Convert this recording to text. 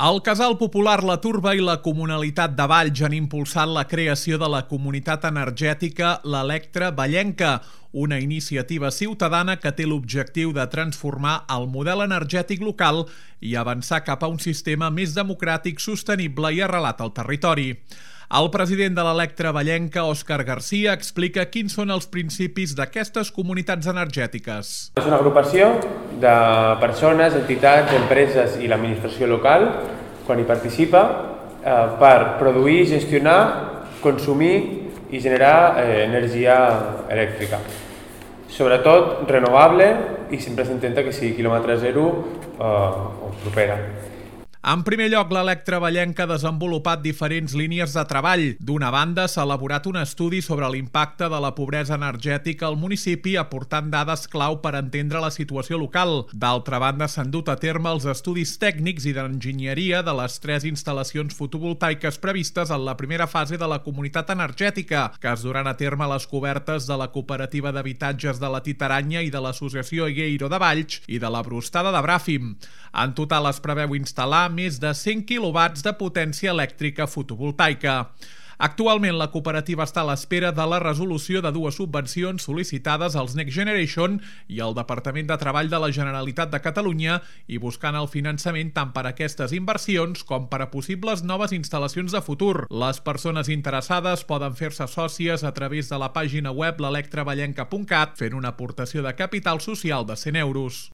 El Casal Popular La Turba i la Comunalitat de Valls han impulsat la creació de la comunitat energètica l'Electra Vallenca, una iniciativa ciutadana que té l'objectiu de transformar el model energètic local i avançar cap a un sistema més democràtic, sostenible i arrelat al territori. El president de l'Electra Vallenca, Òscar Garcia, explica quins són els principis d'aquestes comunitats energètiques. És una agrupació de persones, entitats, empreses i l'administració local, quan hi participa, per produir, gestionar, consumir i generar energia elèctrica. Sobretot renovable i sempre s'intenta que sigui quilòmetre zero o propera. En primer lloc, l'Electra Vallenca ha desenvolupat diferents línies de treball. D'una banda, s'ha elaborat un estudi sobre l'impacte de la pobresa energètica al municipi, aportant dades clau per entendre la situació local. D'altra banda, s'han dut a terme els estudis tècnics i d'enginyeria de les 3 instal·lacions fotovoltaiques previstes en la primera fase de la comunitat energètica, que es duran a terme a les cobertes de la Cooperativa d'Habitatges de la Titaranya i de l'Associació Egueiro de Valls i de la Brustada de Bràfim. En total es preveu instal·lar més de 100 quilowatts de potència elèctrica fotovoltaica. Actualment, la cooperativa està a l'espera de la resolució de 2 subvencions sol·licitades als Next Generation i al Departament de Treball de la Generalitat de Catalunya i buscant el finançament tant per a aquestes inversions com per a possibles noves instal·lacions de futur. Les persones interessades poden fer-se sòcies a través de la pàgina web l'electravallenca.cat fent una aportació de capital social de 100 euros.